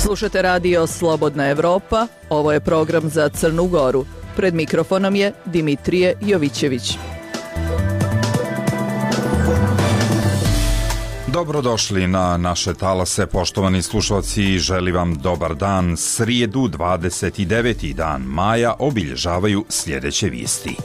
Slušate radio Slobodna Evropa, ovo je program za Crnu Goru. Pred mikrofonom je Dimitrije Jovićević. Dobrodošli na naše talase, poštovani slušalci, želim vam dobar dan. Srijedu, 29. dan maja, obilježavaju sljedeće vijesti.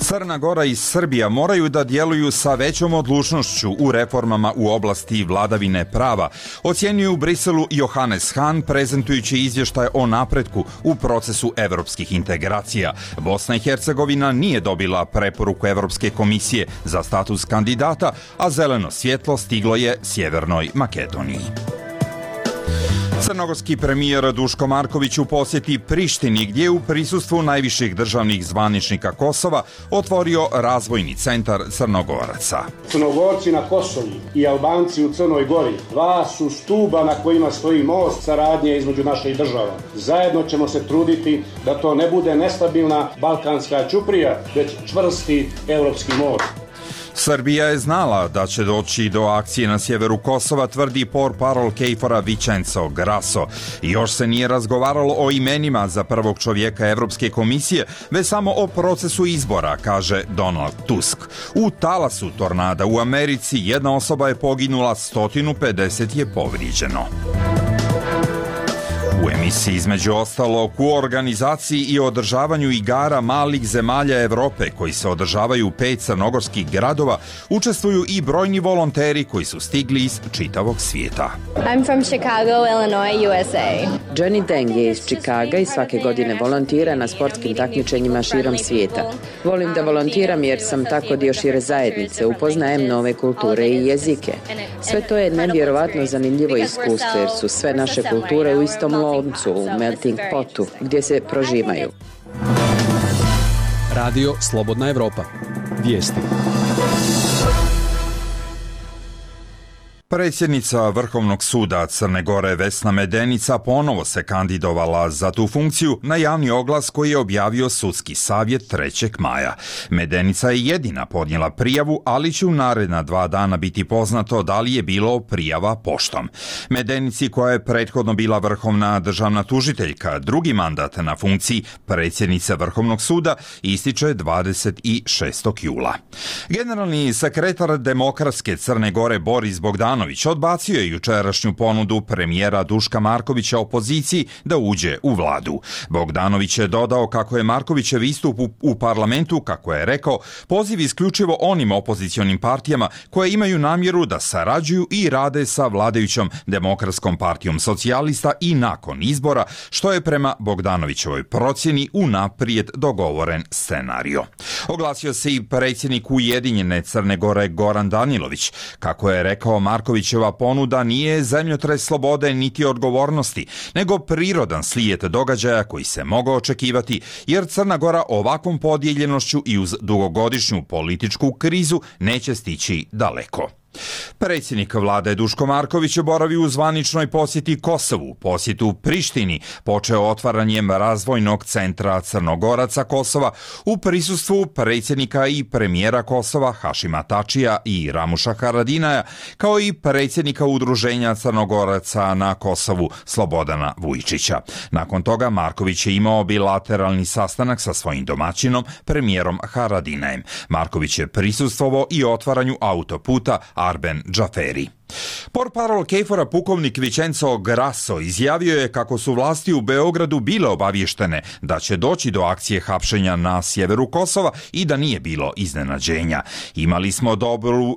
Crna Gora i Srbija moraju da djeluju sa većom odlučnošću u reformama u oblasti vladavine prava, ocjenjuje u Briselu Johannes Hahn prezentujući izvještaj o napretku u procesu evropskih integracija. Bosna i Hercegovina nije dobila preporuku Evropske komisije za status kandidata, a zeleno svjetlo stiglo je Sjevernoj Makedoniji. Crnogorski premijer Duško Marković u posjeti Prištini, gdje je u prisustvu najviših državnih zvaničnika Kosova otvorio razvojni centar Crnogoraca. Crnogorci na Kosovu i Albanci u Crnoj Gori dva su stuba na kojima stoji most saradnje između naših država. Zajedno ćemo se truditi da to ne bude nestabilna balkanska ćuprija, već čvrsti evropski most. Srbija je znala da će doći do akcije na sjeveru Kosova, tvrdi portparol KFOR-a Vincenzo Grasso. Još se nije razgovaralo o imenima za prvog čovjeka Evropske komisije, već samo o procesu izbora, kaže Donald Tusk. U talasu tornada u Americi jedna osoba je poginula, 150 je povrijeđeno. U emisiji između ostalog u organizaciji i održavanju igara malih zemalja Evrope koji se održavaju u 5 crnogorskih gradova učestvuju i brojni volonteri koji su stigli iz čitavog svijeta. I'm from Chicago, Illinois, USA. Jenny Deng je iz Chicaga i svake godine volontira na sportskim takmičenjima širom svijeta. Volim da volontiram jer sam tako dio šire zajednice, upoznajem nove kulture i jezike. Sve to je nevjerovatno zanimljivo iskustvo jer su sve naše kulture u istom loncu, u melting potu, gdje se prožimaju. Radio Slobodna Evropa. Vijesti. Predsjednica Vrhovnog suda Crne Gore Vesna Medenica ponovo se kandidovala za tu funkciju na javni oglas koji je objavio sudski savjet 3. maja. Medenica je jedina podnijela prijavu, ali će u naredna 2 dana biti poznato da li je bilo prijava poštom. Medenici, koja je prethodno bila vrhovna državna tužiteljka, drugi mandat na funkciji predsjednice Vrhovnog suda ističe 26. jula. Generalni sekretar Demokratske Crne Gore Boris Bogdanović odbacio je jučerašnju ponudu premijera Duška Markovića opoziciji da uđe u vladu. Bogdanović je dodao kako je Markovićev istup u parlamentu, kako je rekao, poziv isključivo onim opozicionim partijama koje imaju namjeru da sarađuju i rade sa vladajućom Demokratskom partijom socijalista i nakon izbora, što je prema Bogdanovićevoj procjeni unaprijed dogovoren scenario. Oglasio se i predsjednik Ujedinjene Crne Gore Goran Danilović, kako je rekao Markovićeva ponuda nije zemljotres slobode niti odgovornosti, nego prirodan slijed događaja koji se mogao očekivati, jer Crna Gora ovakvom podijeljenošću i uz dugogodišnju političku krizu neće stići daleko. Predsjednik vlade Duško Marković boravi u zvaničnoj posjeti Kosovu. Posjet u Prištini počeo otvaranjem razvojnog centra Crnogoraca Kosova u prisustvu predsjednika i premijera Kosova Hašima Tačija i Ramuša Haradinaja, kao i predsjednika Udruženja Crnogoraca na Kosovu Slobodana Vujčića. Nakon toga Marković je imao bilateralni sastanak sa svojim domaćinom, premijerom Haradinajem. Marković je prisustvovao i otvaranju autoputa Arben Džaferi. Portparol KFOR-a pukovnik Vincenzo Grasso izjavio je kako su vlasti u Beogradu bile obavještene da će doći do akcije hapšenja na sjeveru Kosova i da nije bilo iznenađenja. Imali smo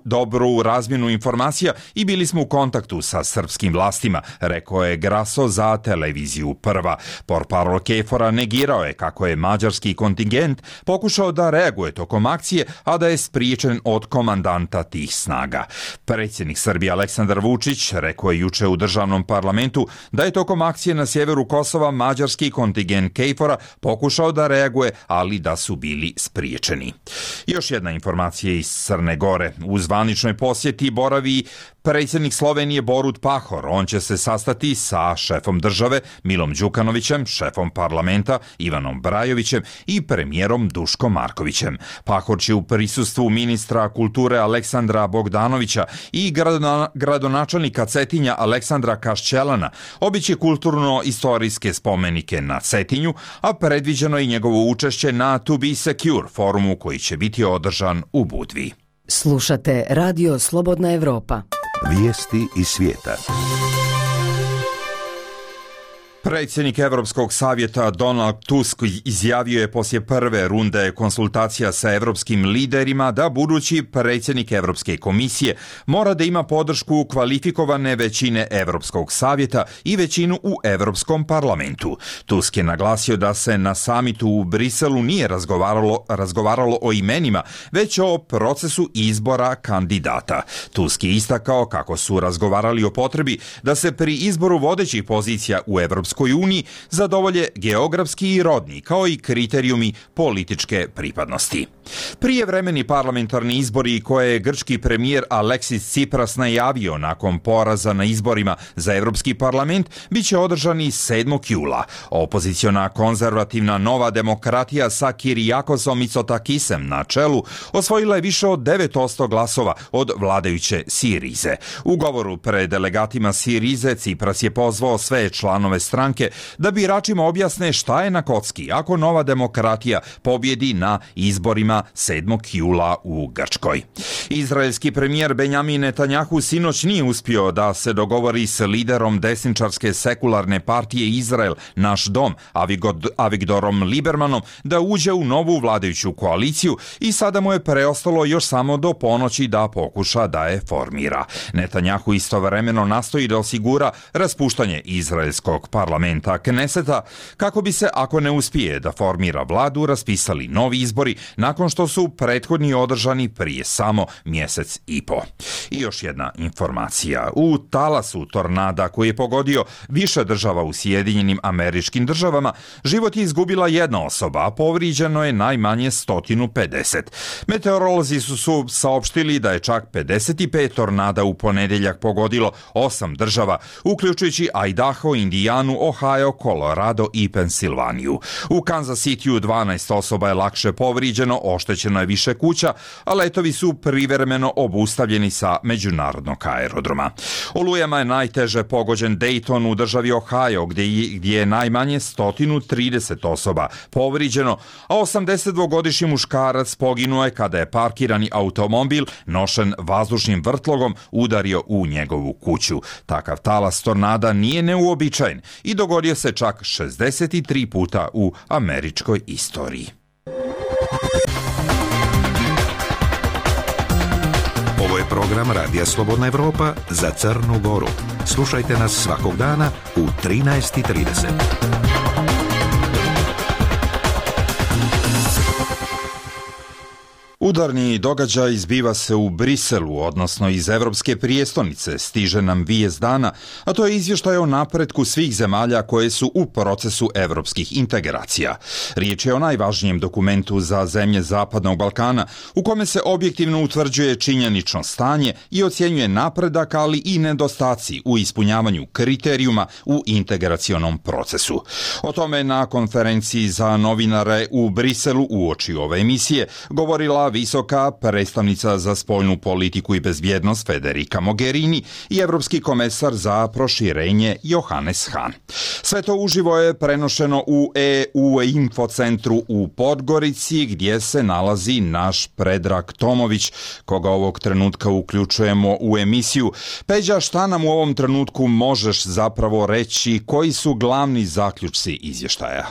dobru razmjenu informacija i bili smo u kontaktu sa srpskim vlastima, rekao je Grasso za televiziju Prva. Portparol KFOR-a negirao je kako je mađarski kontingent pokušao da reaguje tokom akcije, a da je spriječen od komandanta tih snaga. Predsjednik Srbije Aleksandar Vučić rekao je juče u državnom parlamentu da je tokom akcije na sjeveru Kosova mađarski kontingent KFOR-a pokušao da reaguje, ali da su bili spriječeni. Još jedna informacija iz Crne Gore. U zvaničnoj posjeti boravi Predsjednik Slovenije Borut Pahor, on će se sastati sa šefom države Milom Đukanovićem, šefom parlamenta Ivanom Brajovićem i premijerom Duškom Markovićem. Pahor će u prisustvu ministra kulture Aleksandra Bogdanovića i gradonačelnika Cetinja Aleksandra Kašćelana obići kulturno-istorijske spomenike na Cetinju, a predviđeno je njegovo učešće na To Be Secure forumu koji će biti održan u Budvi. Slušate Radio Slobodna Evropa. Vijesti iz svijeta. Predsjednik Europskog savjeta Donald Tusk izjavio je poslije prve runde konsultacija sa europskim liderima da budući predsjednik Europske komisije mora da ima podršku kvalifikovane većine Europskog savjeta i većinu u Europskom parlamentu. Tusk je naglasio da se na samitu u Briselu nije razgovaralo o imenima, već o procesu izbora kandidata. Tusk je istakao kako su razgovarali o potrebi da se pri izboru vodećih pozicija u Europskoj uniji zadovolje geografski i rodni, kao i kriterijumi političke pripadnosti. Prijevremeni parlamentarni izbori koje je grčki premijer Aleksis Tsipras najavio nakon poraza na izborima za Europski parlament bit će održani 7. jula. Opoziciona konzervativna Nova demokratija sa Kirijakosom Mitsotakisem na čelu osvojila je više od 9% glasova od vladajuće Sirize. U govoru pred delegatima Sirize Tsipras je pozvao sve članove stranke da biračima objasne šta je na kocki ako Nova demokratija pobjedi na izborima 7. jula u Grčkoj. Izraelski premijer Benjamin Netanjahu sinoć nije uspio da se dogovori s liderom desničarske sekularne partije Izrael, Naš dom, Avigdorom Libermanom, da uđe u novu vladajuću koaliciju i sada mu je preostalo još samo do ponoći da pokuša da je formira. Netanjahu istovremeno nastoji da osigura raspuštanje izraelskog parlamenta Kneseta kako bi se, ako ne uspije da formira vladu, raspisali novi izbori nakon što su prethodni održani prije samo mjesec i po. I još jedna informacija. U talasu tornada koji je pogodio više država u Sjedinjenim Američkim Državama, život je izgubila jedna osoba, a povrijeđeno je najmanje 150. Meteorolozi su saopštili da je čak 55 tornada u ponedjeljak pogodilo 8 država, uključujući Idaho, Indijanu, Ohio, Colorado i Pensilvaniju. U Kansas Cityu 12 osoba je lakše povrijeđeno, oštećeno je više kuća, a letovi su privremeno obustavljeni sa međunarodnog aerodroma. Olujama je najteže pogođen Dayton u državi Ohio, gdje je najmanje 130 osoba povrijeđeno, a 82-godišnji muškarac poginuo je kada je parkirani automobil nošen vazdušnim vrtlogom udario u njegovu kuću. Takav talas tornada nije neuobičajen i dogodio se čak 63 puta u američkoj istoriji. Ovo je program Radija Slobodna Evropa za Crnu Goru. Slušajte nas svakog dana u 13:30. Udarni događaj zbiva se u Briselu, odnosno iz Evropske prijestolnice, stiže nam vijest dana, a to je izvještaj o napretku svih zemalja koje su u procesu evropskih integracija. Riječ je o najvažnijem dokumentu za zemlje Zapadnog Balkana, u kome se objektivno utvrđuje činjenično stanje i ocjenjuje napredak, ali i nedostaci u ispunjavanju kriterijuma u integracionom procesu. O tome na konferenciji za novinare u Briselu uoči ove emisije govorila visoka predstavnica za spoljnu politiku i bezbjednost Federica Mogherini i evropski komesar za proširenje Johannes Hahn. Sve to uživo je prenošeno u EU infocentru u Podgorici, gdje se nalazi naš Predrag Tomović, koga ovog trenutka uključujemo u emisiju. Peđa, šta nam u ovom trenutku možeš zapravo reći, koji su glavni zaključci izvještaja?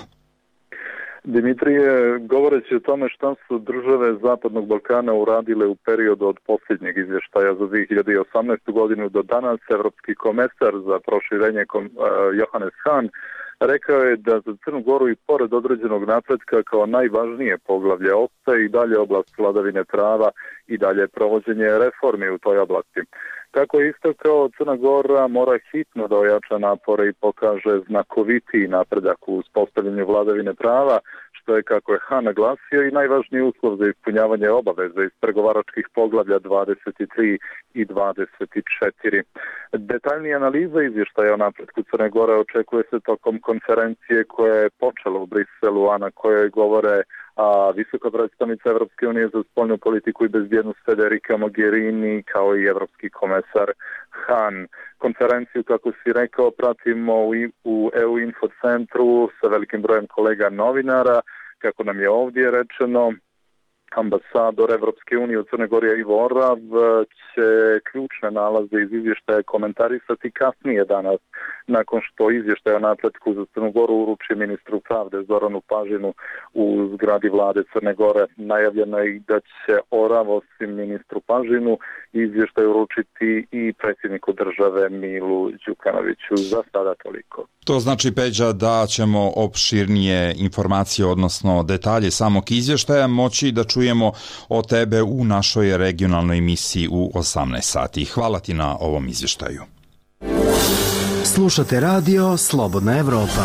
Dimitrije, govoreći o tome šta su države Zapadnog Balkana uradile u periodu od posljednjeg izvještaja za 2018. godinu do danas, evropski komesar za proširenje Johannes Hahn rekao je da za Crnu Goru i pored određenog napretka kao najvažnije poglavlje ostaje i dalje oblast vladavine prava i dalje provođenje reformi u toj oblasti. Kako je istakao, Crna Gora mora hitno da ojača napore i pokaže znakovitiji napredak u uspostavljanju vladavine prava, što je, kako je Han naglasio, i najvažniji uslov za ispunjavanje obaveza iz pregovaračkih poglavlja 23 i 24. Detaljnija analiza izvještaja o napretku Crne Gore očekuje se tokom konferencije koja je počela u Briselu, a na kojoj govore visoka predstavnica Evropske unije za spoljnu politiku i bezbjednost Federica Mogherini, kao i evropski komesar Han. Konferenciju, kako si rekao, pratimo u EU Info centru sa velikim brojem kolega novinara. Kako nam je ovdje rečeno, ambasador Evropske unije u Crnoj Gori Ivo Orav će ključne nalaze iz izvještaja komentarisati kasnije danas, nakon što izvještaj o napretku za Crnu Goru uruči ministru pravde Zoranu Pažinu u zgradi vlade Crne Gore. Najavljeno je i da će Orav, osim ministru Pažinu, izvještaj uručiti i predsjedniku države Milu Đukanoviću. Za sada toliko. To znači, Peđa, da ćemo opširnije informacije, odnosno detalje samog izvještaja moći da čujemo od tebe u našoj regionalnoj emisiji u 18 sati. Hvala ti na ovom izvještaju. Slušate radio Slobodna Evropa.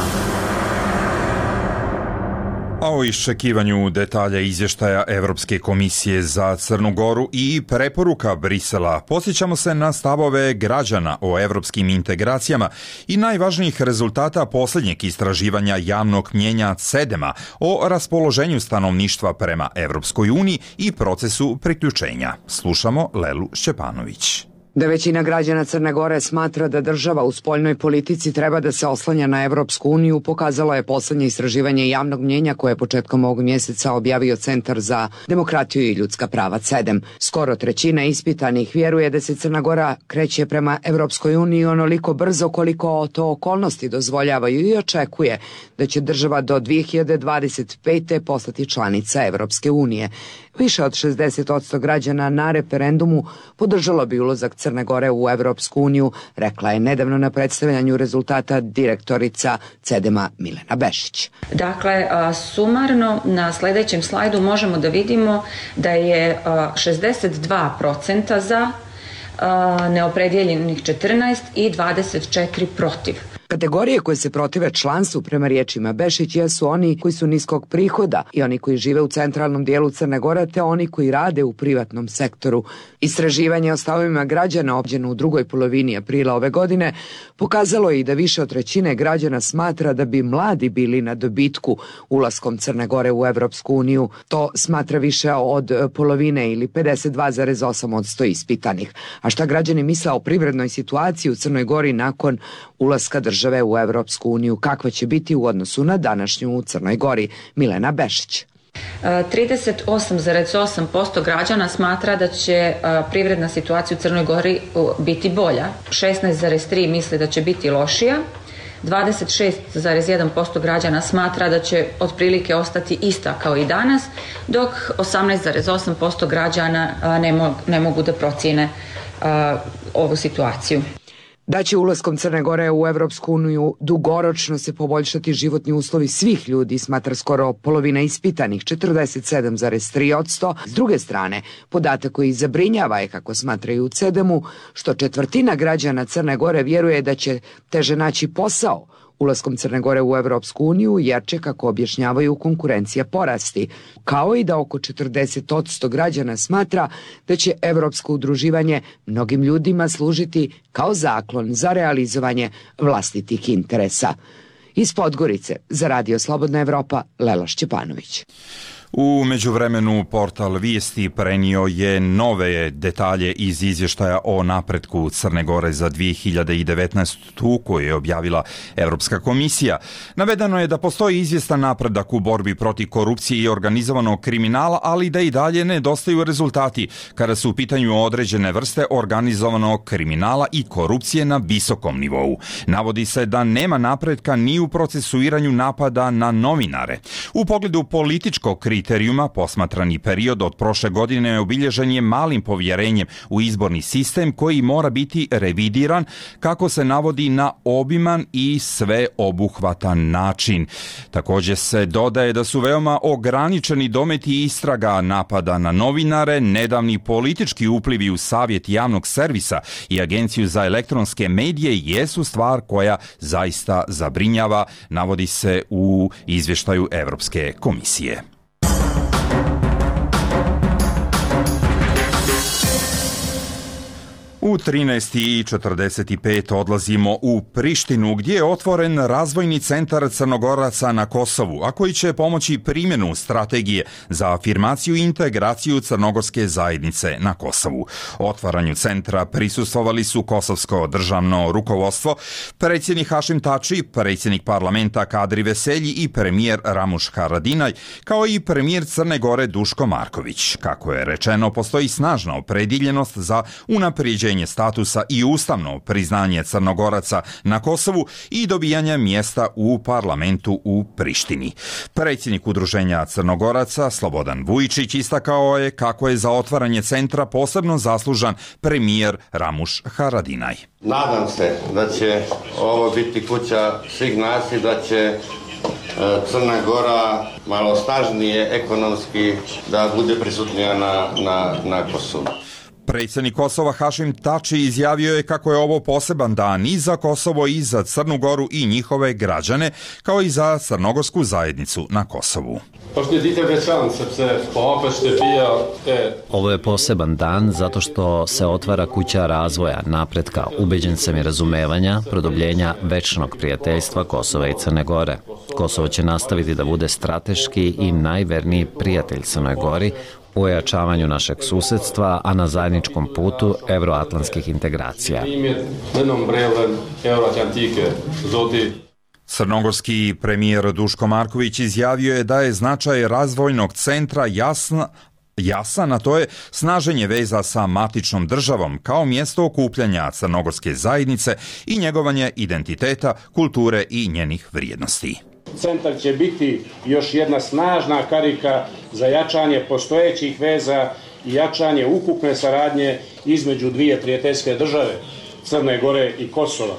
A o iščekivanju detalja izvještaja Evropske komisije za Crnu Goru i preporuka Brisela posjećamo se na stavove građana o evropskim integracijama i najvažnijih rezultata posljednjeg istraživanja javnog mnjenja CEDEM-a o raspoloženju stanovništva prema Evropskoj uniji i procesu priključenja. Slušamo Lelu Šćepanović. Da većina građana Crne Gore smatra da država u spoljnoj politici treba da se oslanja na Evropsku uniju, pokazalo je poslednje istraživanje javnog mnjenja koje je početkom ovog mjeseca objavio Centar za demokratiju i ljudska prava CEDEM. Skoro trećina ispitanih vjeruje da se Crna Gora kreće prema Evropskoj uniji onoliko brzo koliko to okolnosti dozvoljavaju i očekuje da će država do 2025. postati članica Evropske unije. Više od 60% građana na referendumu podržalo bi ulazak Crne Gore u Evropsku uniju, rekla je nedavno na predstavljanju rezultata direktorica CEDEM-a Milena Bešić. Dakle, sumarno na sljedećem slajdu možemo da vidimo da je 62% za, neopredjeljenih 14 i 24 protiv. Kategorije koje se protive članstvu, prema riječima Bešić, jesu oni koji su niskog prihoda i oni koji žive u centralnom dijelu Crne Gore, te oni koji rade u privatnom sektoru. Istraživanje o stavovima građana obavljeno u drugoj polovini aprila ove godine pokazalo je i da više od trećine građana smatra da bi mladi bili na dobitku ulaskom Crne Gore u Evropsku uniju. To smatra više od polovine ili 52,8% ispitanih. A šta građani misle o privrednoj situaciji u Crnoj Gori nakon ulaska države u Evropsku uniju, kakva će biti u odnosu na današnju u Crnoj Gori? Milena Bešić. 38,8% građana smatra da će privredna situacija u Crnoj Gori biti bolja. 16,3% misle da će biti lošija. 26,1% građana smatra da će otprilike ostati ista kao i danas, dok 18,8% građana ne mogu da procijene ovu situaciju. Da će ulaskom Crne Gore u Evropsku uniju dugoročno se poboljšati životni uslovi svih ljudi, smatra skoro polovina ispitanih, 47,3%. S druge strane, podatak koji zabrinjava je, kako smatraju u CEDEM-u, što četvrtina građana Crne Gore vjeruje da će teže naći posao ulaskom Crne Gore u Evropsku uniju, jer će, kako objašnjavaju, konkurencija porasti, kao i da oko 40% građana smatra da će evropsko udruživanje mnogim ljudima služiti kao zaklon za realizovanje vlastitih interesa. Iz Podgorice za Radio Slobodna Evropa, Lela Šćepanović. U međuvremenu portal Vijesti prenio je nove detalje iz izvještaja o napretku Crne Gore za 2019. koju je objavila Evropska komisija. Navedeno je da postoji izvjestan napredak u borbi protiv korupcije i organizovanog kriminala, ali da i dalje nedostaju rezultati kada su u pitanju određene vrste organizovanog kriminala i korupcije na visokom nivou. Navodi se da nema napretka ni u procesuiranju napada na novinare. U pogledu političkog kritičnog kriterijuma, posmatrani period od prošle godine obilježen je malim povjerenjem u izborni sistem koji mora biti revidiran, kako se navodi, na obiman i sveobuhvatan način. Također se dodaje da su veoma ograničeni dometi istraga napada na novinare, nedavni politički uplivi u Savjet javnog servisa i Agenciju za elektronske medije jesu stvar koja zaista zabrinjava, navodi se u izvještaju Europske komisije. U 13:45 odlazimo u Prištinu, gdje je otvoren razvojni centar Crnogoraca na Kosovu, a koji će pomoći primjenu strategije za afirmaciju i integraciju crnogorske zajednice na Kosovu. Otvaranju centra prisustvovali su kosovsko državno rukovodstvo, predsjednik Hašim Tači, predsjednik parlamenta Kadri Veselji i premijer Ramuš Haradinaj, kao i premijer Crne Gore Duško Marković. Kako je rečeno, postoji snažna opredjeljenost za unapređenje statusa i ustavno priznanje Crnogoraca na Kosovu i dobijanje mjesta u parlamentu u Prištini. Predsjednik Udruženja Crnogoraca Slobodan Vujičić istakao je kako je za otvaranje centra posebno zaslužan premijer Ramuš Haradinaj. Nadam se da će ovo biti kuća svih nas i da će Crna Gora malo snažnije ekonomski da bude prisutnija na Kosovu. Predsjednik Kosova Hašim Tači izjavio je kako je ovo poseban dan i za Kosovo i za Crnu Goru i njihove građane, kao i za crnogorsku zajednicu na Kosovu. Ovo je poseban dan zato što se otvara kuća razvoja, napretka, ubeđen sam i razumevanja, produbljenja večnog prijateljstva Kosova i Crne Gore. Kosovo će nastaviti da bude strateški i najverniji prijatelj Crnoj Gori u ojačavanju našeg susedstva, a na zajedničkom putu evroatlantskih integracija. Crnogorski premijer Duško Marković izjavio je da je značaj razvojnog centra jasan, a to je snaženje veza sa matičnom državom kao mjesto okupljanja crnogorske zajednice i njegovanje identiteta, kulture i njenih vrijednosti. Centar će biti još jedna snažna karika za jačanje postojećih veza i jačanje ukupne saradnje između dvije prijateljske države, Crne Gore i Kosova.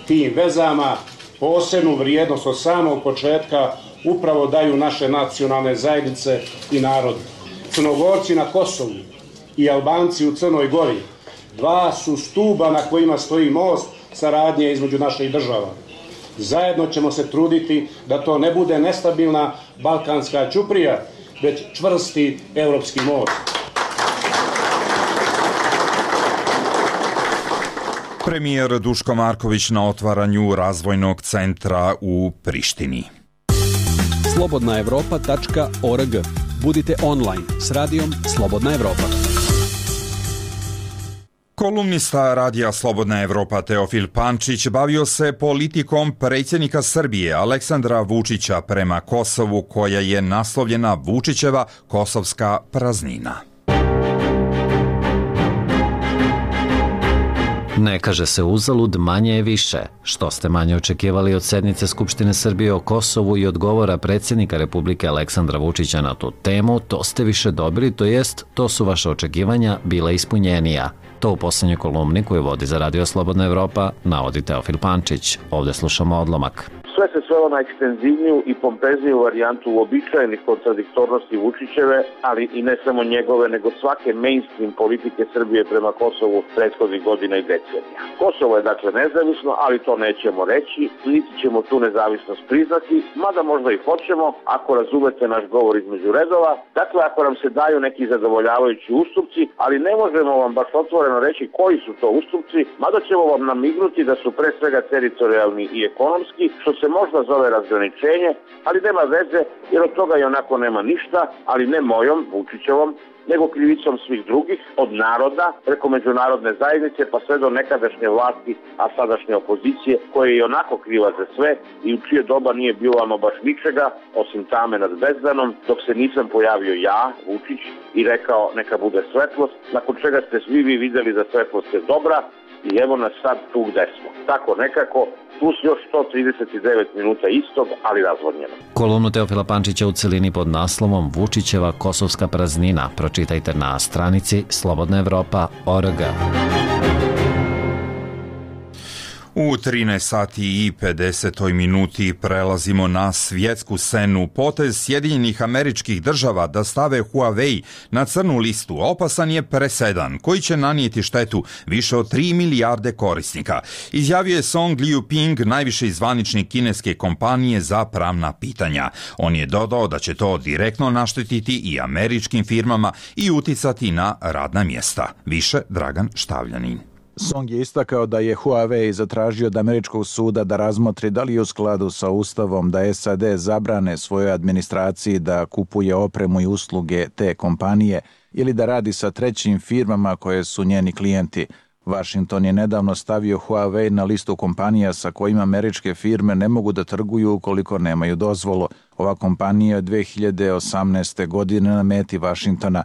Tim vezama posebnu vrijednost od samog početka upravo daju naše nacionalne zajednice i narodi. Crnogorci na Kosovu i Albanci u Crnoj Gori dva su stuba na kojima stoji most saradnje između naših država. Zajedno ćemo se truditi da to ne bude nestabilna balkanska ćuprija, već čvrsti europski most. Premijer Duško Marković na otvaranju razvojnog centra u Prištini. Slobodnaevropa.org. Budite online s radijom Slobodna Evropa. Kolumnista Radija Slobodna Evropa Teofil Pančić bavio se politikom predsjednika Srbije Aleksandra Vučića prema Kosovu, koja je naslovljena Vučićeva kosovska praznina. Ne kaže se uzalud, manje je više. Što ste manje očekivali od sednice Skupštine Srbije o Kosovu i odgovora predsjednika Republike Aleksandra Vučića na tu temu, to ste više dobili, to jest, to su vaše očekivanja bila ispunjenija. To u posljednjoj kolumni koju vodi za Radio Slobodna Evropa navodi Teofil Pančić. Ovdje slušamo odlomak. Sve se svelo na ekstenzivniju i pompezniju varijantu uobičajenih kontradiktornosti Vučićeve, ali i ne samo njegove, nego svake mainstream politike Srbije prema Kosovu prethodnih godina i decenija. Kosovo je dakle nezavisno, ali to nećemo reći, niti ćemo tu nezavisnost priznati, mada možda i hoćemo, ako razumete naš govor između redova. Dakle, ako nam se daju neki zadovoljavajući ustupci, ali ne možemo vam baš otvoreno reći koji su to ustupci, mada ćemo vam namignuti da su pre svega teritorijalni i ekonomski, što se možda zove razgraničenje, ali nema veze, jer od toga i onako nema ništa, ali ne mojom, Vučićevom, nego krivicom svih drugih, od naroda, preko međunarodne zajednice, pa sve do nekadašnje vlasti, a sadašnje opozicije, koja je i onako kriva za sve i u čije doba nije bilo ama baš ničega, osim tame nad bezdanom, dok se nisam pojavio ja, Vučić, i rekao neka bude svetlost, nakon čega ste svi vi vidjeli da svetlost je dobra, i evo nas sad tu gde smo. Tako nekako, plus još 139 minuta istog, ali razvodnjeno. Kolumnu Teofila Pančića u celini pod naslovom Vučićeva kosovska praznina pročitajte na stranici slobodnaevropa.org. U 13 sati i 50 minuti prelazimo na svjetsku scenu. Potez Sjedinjenih Američkih Država da stave Huawei na crnu listu opasan je presedan koji će nanijeti štetu više od 3 milijarde korisnika. Izjavio je Song Liuping, najviši zvaničnik kineske kompanije za pravna pitanja. On je dodao da će to direktno naštetiti i američkim firmama i uticati na radna mjesta. Više Dragan Štavljanin. Song je istakao da je Huawei zatražio od američkog suda da razmotri da li je u skladu sa ustavom da SAD zabrane svojoj administraciji da kupuje opremu i usluge te kompanije ili da radi sa trećim firmama koje su njeni klijenti. Washington je nedavno stavio Huawei na listu kompanija sa kojima američke firme ne mogu da trguju ukoliko nemaju dozvolu. Ova kompanija je 2018. godine na meti Washingtona.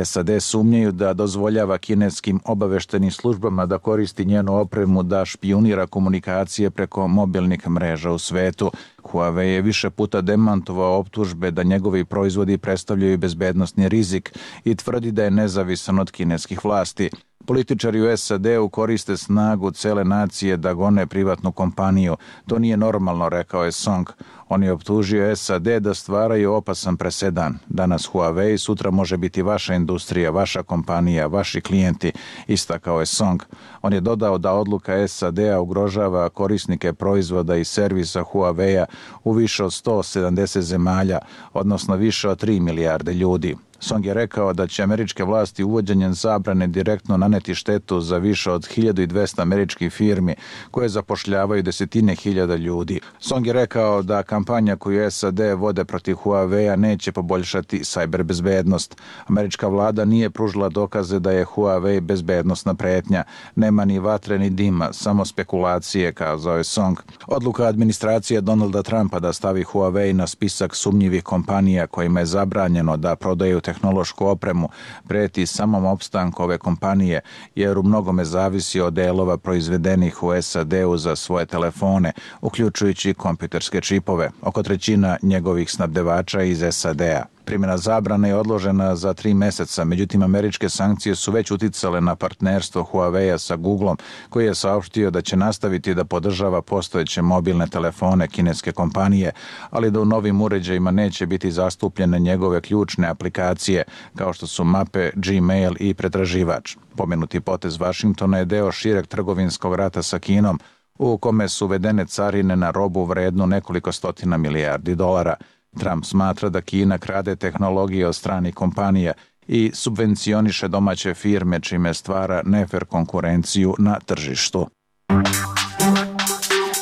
SAD sumnjaju da dozvoljava kineskim obaveštenim službama da koristi njenu opremu da špijunira komunikacije preko mobilnih mreža u svetu. Huawei je više puta demantovao optužbe da njegovi proizvodi predstavljaju bezbednosni rizik i tvrdi da je nezavisan od kineskih vlasti. Političari u SAD-u koriste snagu cele nacije da gone privatnu kompaniju. To nije normalno, rekao je Song. On je optužio SAD da stvaraju opasan presedan. Danas Huawei, sutra može biti vaša industrija, vaša kompanija, vaši klijenti, istakao je Song. On je dodao da odluka SAD-a ugrožava korisnike proizvoda i servisa Huawei-a u više od 170 zemalja, odnosno više od 3 milijarde ljudi. Song je rekao da će američke vlasti uvođenjem zabrane direktno naneti štetu za više od 1200 američkih firmi koje zapošljavaju desetine hiljada ljudi. Song je rekao da kampanja koju SAD vode protiv Huawei-a neće poboljšati sajber bezbednost. Američka vlada nije pružila dokaze da je Huawei bezbednosna pretnja. Nema ni vatre ni dima, samo spekulacije, kazao je Song. Odluka administracije Donalda Trumpa da stavi Huawei na spisak sumnjivih kompanija kojima je zabranjeno da prodaju tehnološku opremu preti samom opstanku ove kompanije, jer u mnogome zavisi od delova proizvedenih u SAD-u za svoje telefone, uključujući kompjuterske čipove, oko trećina njegovih snabdevača iz SAD-a. Primjena zabrane je odložena za 3 meseca, međutim američke sankcije su već uticale na partnerstvo Huawei-a sa Googlom, koji je saopštio da će nastaviti da podržava postojeće mobilne telefone kineske kompanije, ali da u novim uređajima neće biti zastupljene njegove ključne aplikacije, kao što su mape, Gmail i pretraživač. Pomenuti potez Washingtona je deo šireg trgovinskog rata sa Kinom, u kome su uvedene carine na robu vrednu nekoliko stotina milijardi dolara. Trump smatra da Kina krade tehnologije od stranih kompanija i subvencioniše domaće firme, čime stvara nefer konkurenciju na tržištu.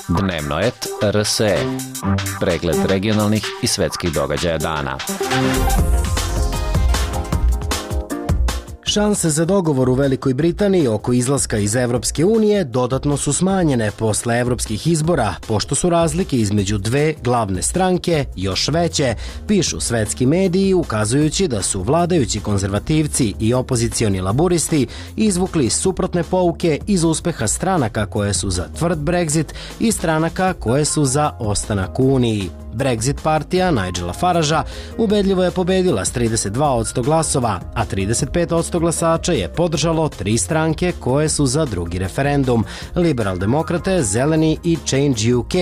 Dnevno et RSE. Pregled regionalnih i svetskih događaja dana. Šanse za dogovor u Velikoj Britaniji oko izlaska iz Evropske unije dodatno su smanjene posle evropskih izbora, pošto su razlike između dve glavne stranke još veće, pišu svetski mediji, ukazujući da su vladajući konzervativci i opozicioni laburisti izvukli suprotne pouke iz uspeha stranaka koje su za tvrd Brexit i stranaka koje su za ostanak u Uniji. Brexit partija Nigela Faragea ubedljivo je pobedila s 32% glasova, a 35% glasača je podržalo 3 stranke koje su za drugi referendum: Liberal-demokrate, Zeleni i Change UK.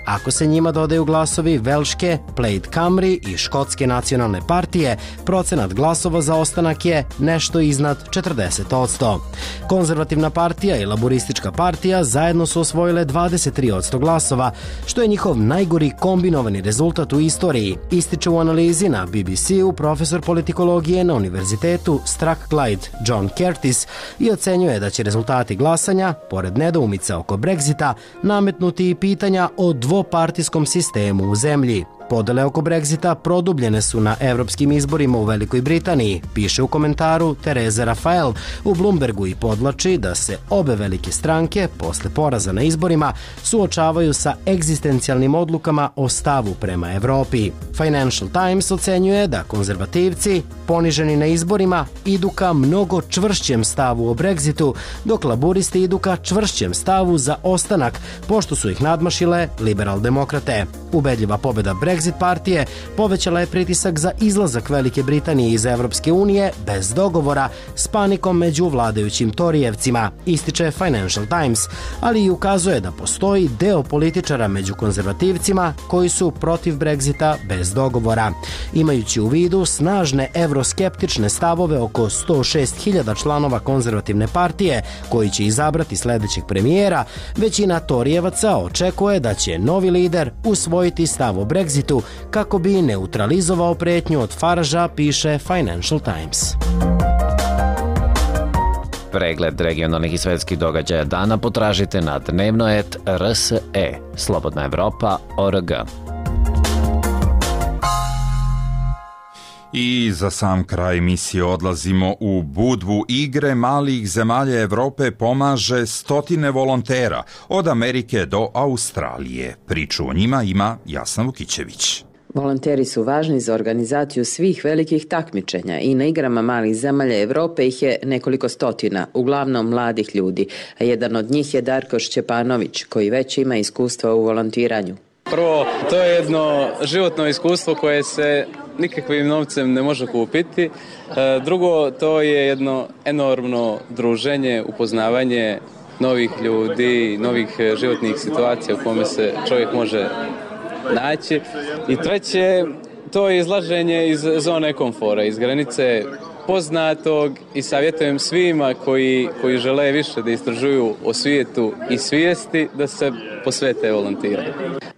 Ako se njima dodaju glasovi Velške, Plaid Cymru i Škotske nacionalne partije, procenat glasova za ostanak je nešto iznad 40%. Konzervativna partija i laboristička partija zajedno su osvojile 23% glasova, što je njihov najgori kombinovani rezultat u istoriji, ističe u analizi na BBC-u profesor politikologije na univerzitetu Strathclyde John Curtis i ocenjuje da će rezultati glasanja, pored nedoumica oko Brexita, nametnuti i pitanja o dvopartijskom sistemu u zemlji. Podele oko Brexita produbljene su na evropskim izborima u Velikoj Britaniji, piše u komentaru Tereza Rafael u Bloombergu i podvlači da se obe velike stranke posle poraza na izborima suočavaju sa egzistencijalnim odlukama o stavu prema Evropi. Financial Times ocenjuje da konzervativci, poniženi na izborima, idu ka mnogo čvršćem stavu o Brexitu, dok laburisti idu ka čvršćem stavu za ostanak, pošto su ih nadmašile liberal-demokrate. Ubedljiva pobjeda Brexit partije povećala je pritisak za izlazak Velike Britanije iz Evropske unije bez dogovora s panikom među vladajućim Torijevcima, ističe Financial Times, ali i ukazuje da postoji deo političara među konzervativcima koji su protiv Brexita bez dogovora. Imajući u vidu snažne evroskeptične stavove oko 106.000 članova konzervativne partije koji će izabrati sledećeg premijera, većina Torijevaca očekuje da će novi lider usvojiti stav o Brexitu kako bi neutralizovao pretnju od Faragea, piše Financial Times. Pregled regionalnih i svetskih događaja dana potražite na dnevno.rs.e slobodnaevropa.org. I za sam kraj emisije odlazimo u Budvu. Igre malih zemalja Evrope pomaže stotine volontera od Amerike do Australije. Priču o njima ima Jasna Vukićević. Volonteri su važni za organizaciju svih velikih takmičenja i na igrama malih zemalja Evrope ih je nekoliko stotina, uglavnom mladih ljudi, a jedan od njih je Darko Šćepanović, koji već ima iskustva u volontiranju. Prvo, to je jedno životno iskustvo koje se nikakvim novcem ne može kupiti. Drugo, to je jedno enormno druženje, upoznavanje novih ljudi, novih životnih situacija u kome se čovjek može naći. I treće, to je izlaženje iz zone komfora, iz granice poznatog i savjetujem svima koji žele više da istražuju o svijetu i svijesti da se posvete volontiranju.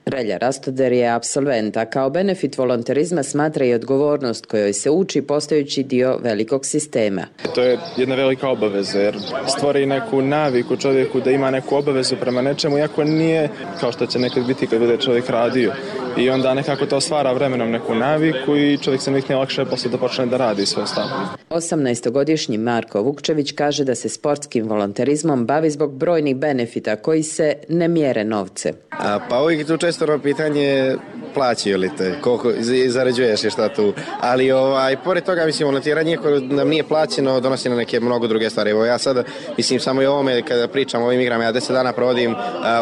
Relja Rastoder je apsolvent, a kao benefit volonterizma smatra i odgovornost kojoj se uči postajući dio velikog sistema. To je jedna velika obaveza jer stvori neku naviku čovjeku da ima neku obavezu prema nečemu, iako nije kao što će nekad biti kad bude čovjek radio. I onda nekako to stvara vremenom neku naviku i čovjek se nikne lakše posle da počne da radi sve ostalo. 18-godišnji Marko Vukčević kaže da se sportskim volonterizmom bavi zbog brojnih benefita koji se ne mjere novce. Pa uvijek tu često pitanje plaćaju li te, koliko zarađuješ i šta tu, ali pored toga mislim volontiranje iako nam nije plaćeno donosi na neke mnogo druge stvari. Evo ja sada mislim samo i o ovome kada pričam o ovim igrama, ja 10 dana provodim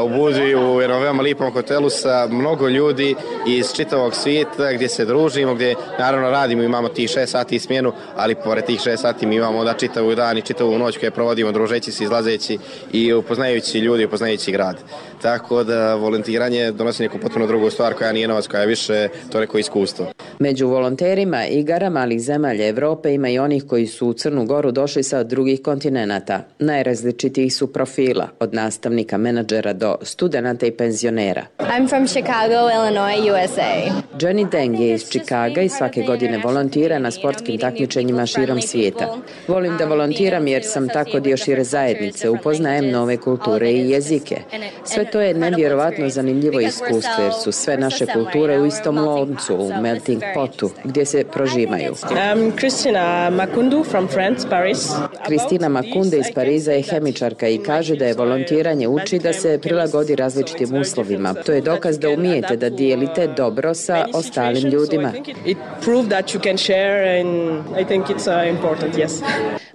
u Budvi u jednom veoma lipom hotelu sa mnogo ljudi iz čitavog svijeta gdje se družimo, gdje naravno radimo, imamo tih 6 sati smjenu, ali pored tih 6 sati mi imamo onda čitavu dan i čitavu noć koje provodimo družeći se, izlazeći i upoznajući ljudi, upoznajući grad. Tako da volontiranje donosi neku potpuno drugu stvar koja nije novac, koja je više to neko iskustvo. Među volonterima igara malih zemalja Evrope ima i onih koji su u Crnu Goru došli sa drugih kontinenata. Najrazličitijih su profila, od nastavnika, menadžera do studenata i penzionera. I'm from Chicago, Illinois, USA. Jenny Deng je iz Čikaga i svake godine volontira na sportskim takmičenjima širom svijeta. Volim da volontiram jer sam tako dio šire zajednice, upoznajem nove kulture i jezike. Sve to je nevjerovatno zanimljivo iskustvo jer su sve naše kulture u istom loncu, u melting potu, gdje se prožimaju. Kristina Makundu from France, Paris. Kristina Makunde iz Pariza je hemičarka i kaže da je volontiranje uči da se prilagodi različitim uslovima. To je dokaz da umijete da dijelite dobro sa ostalim ljudima. It proved that you can share and I think it's important, yes.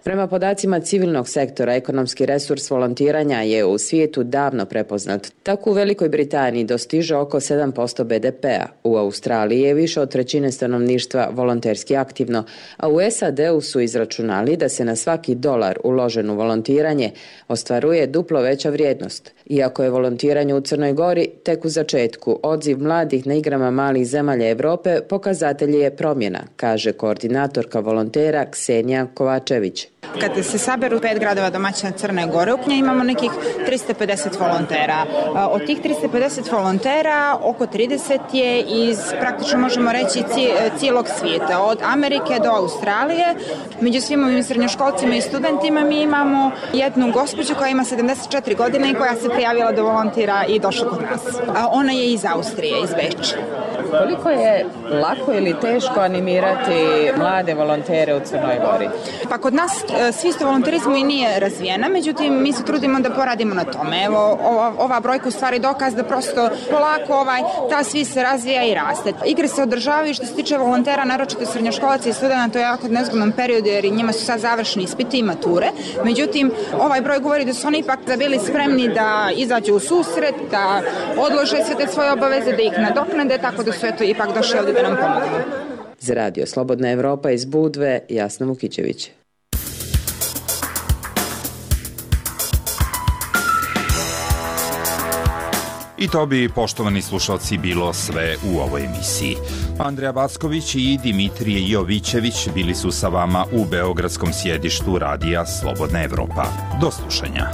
Prema podacima civilnog sektora, ekonomski resurs volontiranja je u svijetu davno prepoznat. Tako u Velikoj Britaniji dostiže oko 7% BDP-a. U Australiji je više od trećine stanovništva volonterski aktivno, a u SAD-u su izračunali da se na svaki dolar uložen u volontiranje ostvaruje duplo veća vrijednost. Iako je volontiranje u Crnoj Gori tek u začetku, odziv mladih na igrama malih zemalja Evrope pokazatelj je promjena, kaže koordinatorka volontera Ksenija Kovačević. Kad se saberu 5 gradova domaćina Crne Gore, u njoj imamo nekih 350 volontera. Od tih 350 volontera, oko 30 je iz, praktično možemo reći, cijelog svijeta, od Amerike do Australije. Među svim ovim srednjoškolcima i studentima mi imamo jednu gospođu koja ima 74 godine i koja se prijavila da volontira i došla kod nas. Ona je iz Austrije, iz Beča. Koliko je lako ili teško animirati mlade volontere u Crnoj Gori? Pa kod nas svijest o volonterizmu i nije razvijena, međutim mi se trudimo da poradimo na tome. Evo, ova brojka u stvari dokaz da prosto polako ta svijest se razvija i raste. Igre se održavaju što se tiče volontera, naročito srednjoškolaca i studenta, to je jako nezgodnom periodu jer njima su sad završni ispiti i mature. Međutim, ovaj broj govori da su oni ipak bili spremni da izađu u susret, da odlože sve te svoje obaveze, da ih nadoknade, tako da su ipak došli ovdje da nam pomognu. Za Radio Slobodna Evropa iz Budve, Jasna Vukićević. I to bi, poštovani slušalci, bilo sve u ovoj emisiji. Andreja Backović i Dimitrije Jovićević bili su sa vama u beogradskom sjedištu Radija Slobodna Evropa. Do slušanja.